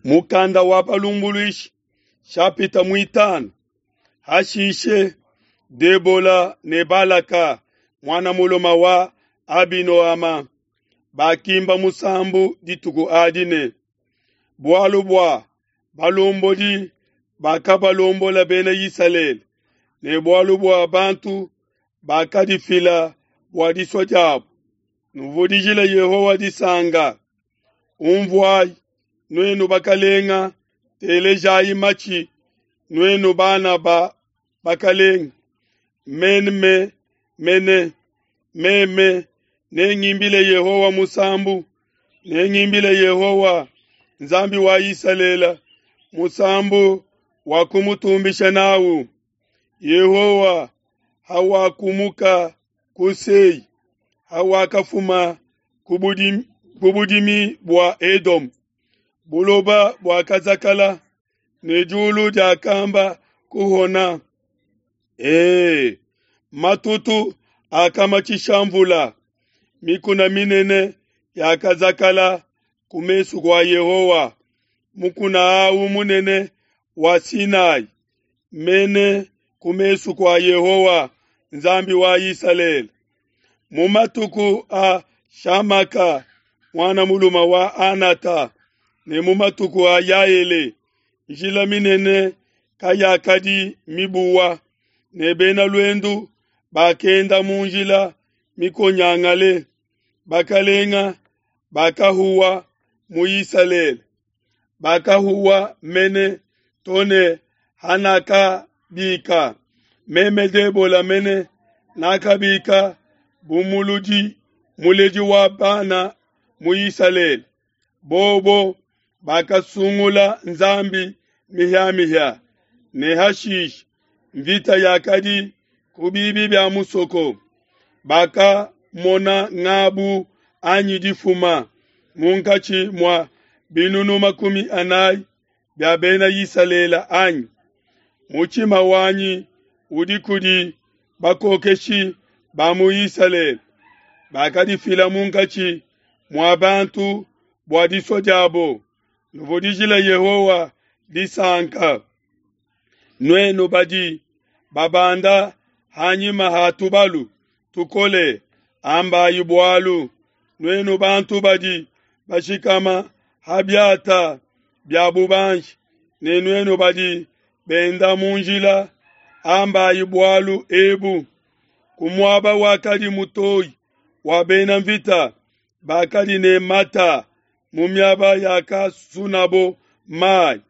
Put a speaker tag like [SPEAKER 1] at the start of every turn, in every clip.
[SPEAKER 1] Mukanda wa Balumbuluishi, shapita muitanu. Hashishe Debola ne Balaka, muana mulume wa Abinoama, bakimba musambu dituku adi ne, bualu bua balombodi bakabalombola bena Isalele, ne bualu bua bantu bakadifila bua disua diabo. Nuvudijile Yehowa disanka. Unvuai, nuenu bakalenga, telejayi matshi, nuenu bana ba bakalenga. Meme mene, meme nengimbile Yehowa musambu, nengimbile Yehowa, Nzambi wa Isalele, musambu wa kumutumbisha nawu. Yehowa hawakumuka ku Sei, hawakafuma ku budimi bua Edome, buloba buakazakala ne diulu diakamba kuhona. Ee, matutu akamatshisha mvula, mikuna minene yakazakala ku mesu kua Yehowa, mukuna awu munene wa Sinai, mene ku mesu kua Yehowa, Nzambi wa Isalele. Mu matuku a Shamaka, muana mulume wa Anata, ne mu matuku a Yaele, njila minene kayakadi mibuwa, ne bena luendu bakenda mu njila mikonyangale. Bakalenga bakahuwa mu Isalele, bakahuwa mene to ne hanakabika. Meme Debola mene nakabika bu muludi muledi wa bana mu Isalele. Bobo bakasungula nzambi mihia-mihia, ne hashishe mvita yakadi ku bibi bia musoko. Bakamona ngabu anyi difuma munkatshi mua binunu 40 bia bena Isalele anyi? Mutshima wanyi udi kudi bakokeshi ba mu Isalele, bakadifila munkatshi mua bantu bua disua diabo. Nuvudijile Yehowa disanka, nuenu badi babanda hanyima ha tubalu tukole, ambayi bualu. Nuenu bantu badi bashikama ha biata bia bubanji, ne nuenu badi benda mu njila, ambayi bualu ebu. Ku muaba wakadi mutoyi wa bena mvita bakadi ne mata mu miaba yakasunabo mayi,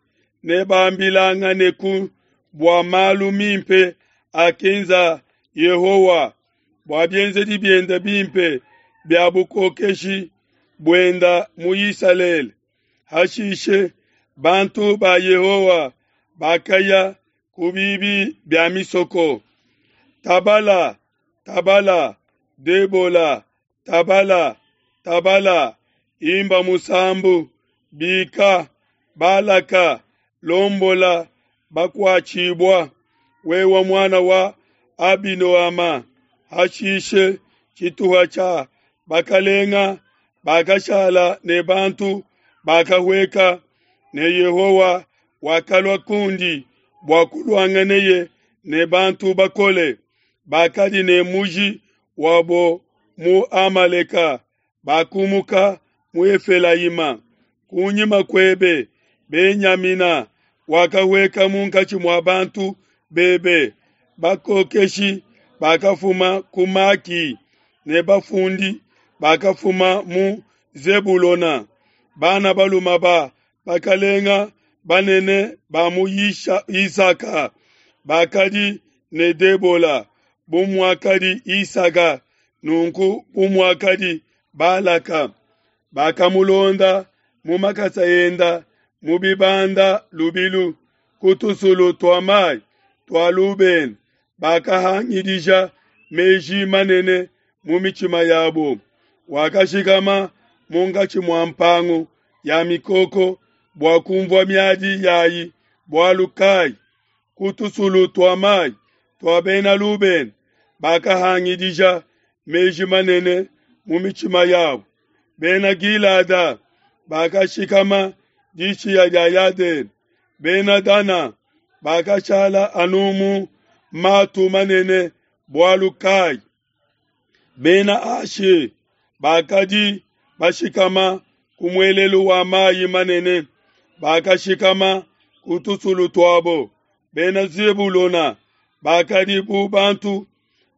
[SPEAKER 1] ne bambilanganeku bua malu mimpe akenza Yehowa, bua bienzedi biende bimpe bia bukokeshi buenda mu Isalele. Hashishe bantu ba Yehowa bakaya ku bibi bia misoko. Tabala, tabala, Debola, tabala, tabala, imba musambu, bika, Balaka, lombola bakuatshibua, wewe muana wa Abinoama. Hashishe tshituha tshia bakalenga bakashala ne bantu bakahueka, ne Yehowa wakalua kundi bua kuluanganeye ne bantu bakole bakadi ne muji wabo mu Amaleka, bakumuka mu Efelayima. Kunyima kuebe Benyamina wakahueka munkatshi mua bantu bebe, bakokeshi bakafuma ku Maki, ne bafundi bakafuma mu Zebulona. Bana balume ba bakalenga banene ba mu Isaka bakadi ne Debola, bu muakadi Isaka, nunku bu muakadi Balaka. Bakamulonda mu makasa enda mu bibanda lubilu ku tusulu tua mayi tua Lubena, bakahangidija meji manene mu mitshima yabo. Wakashikama munkatshi mua mpangu ya mikoko bua kumvua miadi yayi, bualu kai ku tusulu tua mayi tua bena Lubena bakahangidija meji manene mu mitshima yabo. Bena Gilada bakashikama dishiya dia Yadene, Bena Dana bakashala anu mu matu manene bualu kayi? Bena Ashe bakadi bashikama ku muelelu wa mayi manene, bakashikama ku tusulu tuabo. Bena Zebulona bakadi bu bantu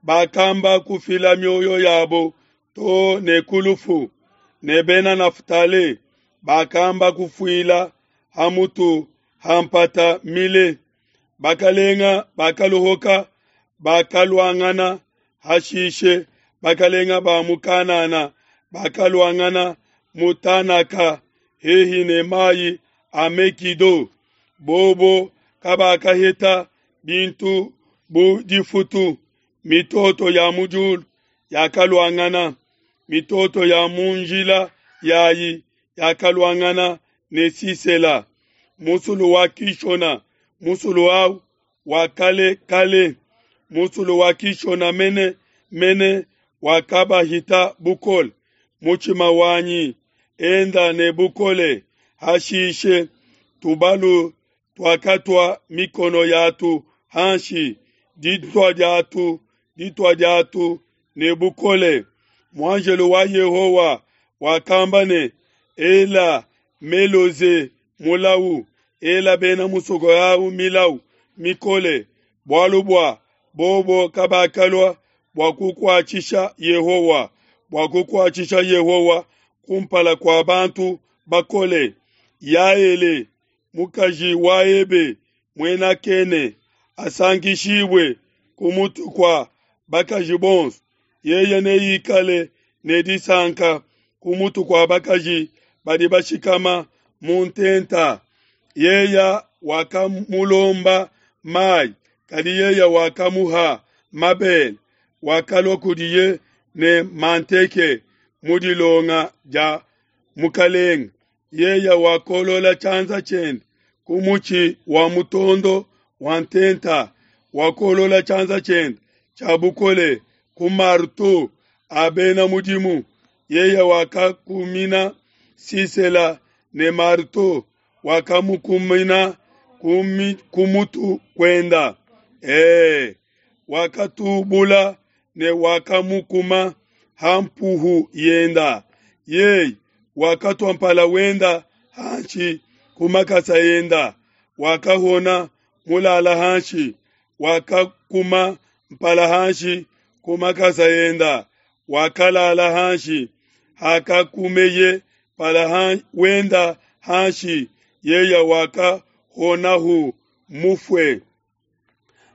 [SPEAKER 1] bakamba kufila mioyo yabo too ne ku lufu, ne Bena Naftali bakamba kufuila ha mutu ha mpata mile. Bakalenga bakaluhuka, bakaluangana, hashishe bakalenga ba mu Kanana bakaluangana mu Tanaka hehi ne mayi a Megido. Bobo kabakaheta bintu bu difutu. Mitoto ya mu diulu yakaluangana, mitoto ya mu njila yayi yakaluangana ne Sisela. Musulu wa Kishona, musulu au wa kale kale, musulu wa Kishona mene mene wakabahita bukole. Mutshima wanyi, enda ne bukole. Hashishe tubalu tuakatua mikono yatu hanshi, ditua diatu ditua diatu ne bukole. Muanjelo wa Yehowa wakamba ne, Ela Meloze mulau, ela bena musoko au milau mikole, bualu bua bobo kabakalua bua kukuatshisha Yehowa, bua kukuatshisha Yehowa kumpala kua bantu bakole. Yaele, mukaji wa Ebe, muena Kene, asankishibue ku mutu kua bakaji bonso, yeye neikale ne disanka ku mutu kua bakaji badi bashikama mu ntenta. Yeya wakamulomba mayi, kadi yeya wakamuha mabele. Wakalua kudiye ne manteke mu dilonga dia mukalenge. Yeya wakolola tshianza tshiende ku mutshi wa mutondo wa ntenta, wakolola tshianza tshiende tshia bukole ku marteau a bena mudimu. Yeya wakakumina Sisela ne marteau, wakamukumina ku mutu kuenda. Wakatubula ne wakamukuma ha mpuhu yenda. Yeye wakatua mpala wenda hanshi ku makasa enda, wakahona mulala hanshi, wakakuma mpala hanshi ku makasa enda, wakalala hanshi. Hakakumeye mpala wenda hanshi, yeye wakahonahu mufue.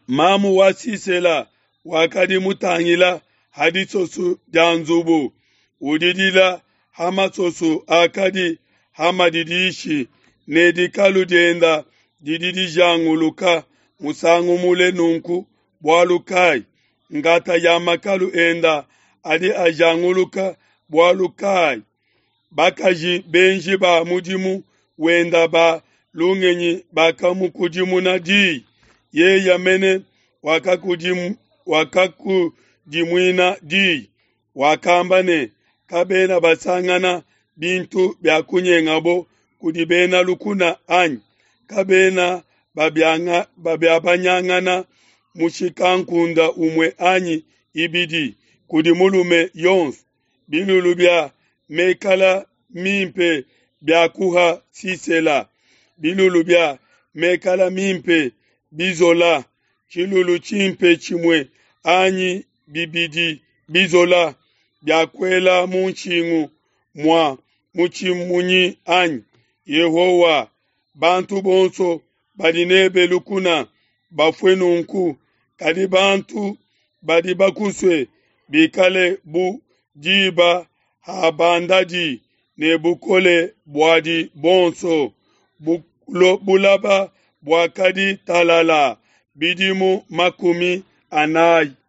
[SPEAKER 1] Mamu wa Sisela wakadi mutangila ha disoso dia nzubu, udidila ha masoso akadi ha madidishi, ne dikalu dienda didi dijanguluka musangu mule nunku bualu kayi? Ngata ya makalu enda adi ajanguluka bualu kayi? Bakaji benji ba mudimu wenda ba lungenyi bakamukudimuna diyi, yeya mene wakakudimuina diyi, wakamba ne, kabena basangana bintu bia kunyengabo kudi bena lukuna anyi? Kabena babiabanyangana mushikankunda umue anyi ibidi kudi mulume yonso. Bilulu bia mekala mimpe bia kuha Sisela, bilulu bia mekala mimpe bizola, tshilulu tshimpe tshimue anyi bibidi bizola bia kuela mu nshingu mua mutshimunyi anyi? Yehowa, bantu bonso badi nebe lukuna bafue nunku, kadi bantu badi bakusue bikale bu diba habandadi ne bukole buadi bonso. Bulaba buakadi talala bidimu 40.